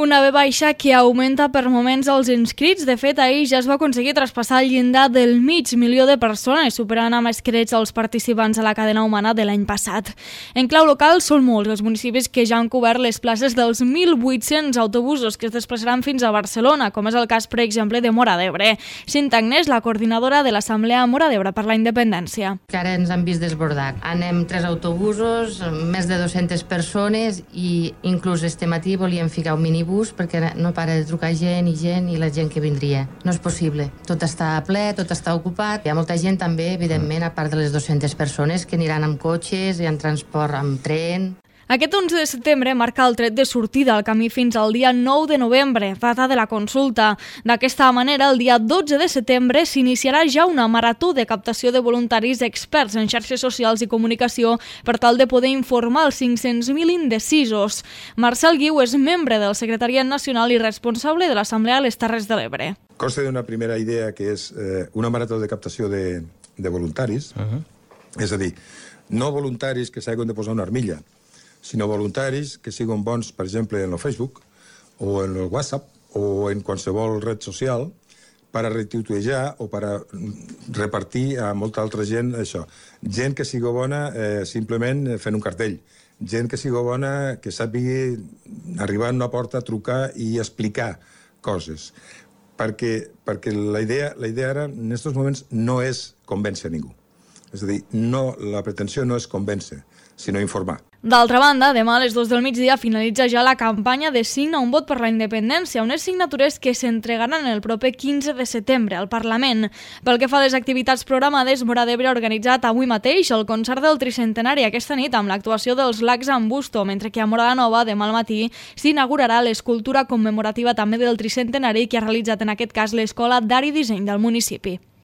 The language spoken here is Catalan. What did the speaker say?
Una B baixa que augmenta per moments els inscrits. De fet, ahir ja es va aconseguir traspassar el llindar del 500.000 de persones, superant amb escreix els participants a la cadena humana de l'any passat. En clau local, són molts els municipis que ja han cobert les places dels 1.800 autobusos que es desplaçaran fins a Barcelona, com és el cas, per exemple, de Móra d'Ebre. Cinta Agnès, la coordinadora de l'Assemblea Móra d'Ebre per la Independència. Que ara ens han vist desbordat. Anem 3 autobusos, més de 200 persones i inclús este matí volíem ficar un minibús perquè no para de trucar gent i la gent que vindria. No és possible. Tot està ple, tot està ocupat. Hi ha molta gent també, evidentment, a part de les 200 persones que aniran amb cotxes i en transport amb tren. Aquest 11 de setembre marca el tret de sortida al camí fins al dia 9 de novembre, data de la consulta. D'aquesta manera, el dia 12 de setembre s'iniciarà ja una marató de captació de voluntaris experts en xarxes socials i comunicació per tal de poder informar els 500.000 indecisos. Marcel Guiu és membre del Secretariat Nacional i responsable de l'Assemblea a les Terres de l'Ebre. Consta d'una primera idea que és una marató de captació de voluntaris, és a dir, no voluntaris que s'hagin de posar una armilla, sinó voluntaris que siguin bons, per exemple, en el Facebook o en el WhatsApp o en qualsevol red social per a retuitejar o per a repartir a molta altra gent això. Gent que sigui bona simplement fent un cartell. Gent que sigui bona que sàpigui arribar a una porta, trucar i explicar coses. Perquè la idea ara, en aquests moments, no és convèncer ningú. És a dir, la pretensió no és convèncer, sinó informar. D'altra banda, demà a les 2 del migdia finalitza ja la campanya de Signa un vot per la independència, unes signatures que s'entregaran el proper 15 de setembre al Parlament. Pel que fa a les activitats programades, Móra d'Ebre ha organitzat avui mateix el concert del tricentenari aquesta nit amb l'actuació dels Lacs en Busto, mentre que a Móra la Nova, demà al matí, s'inaugurarà l'escultura commemorativa també del tricentenari que ha realitzat en aquest cas l'Escola d'Art i Disseny del municipi.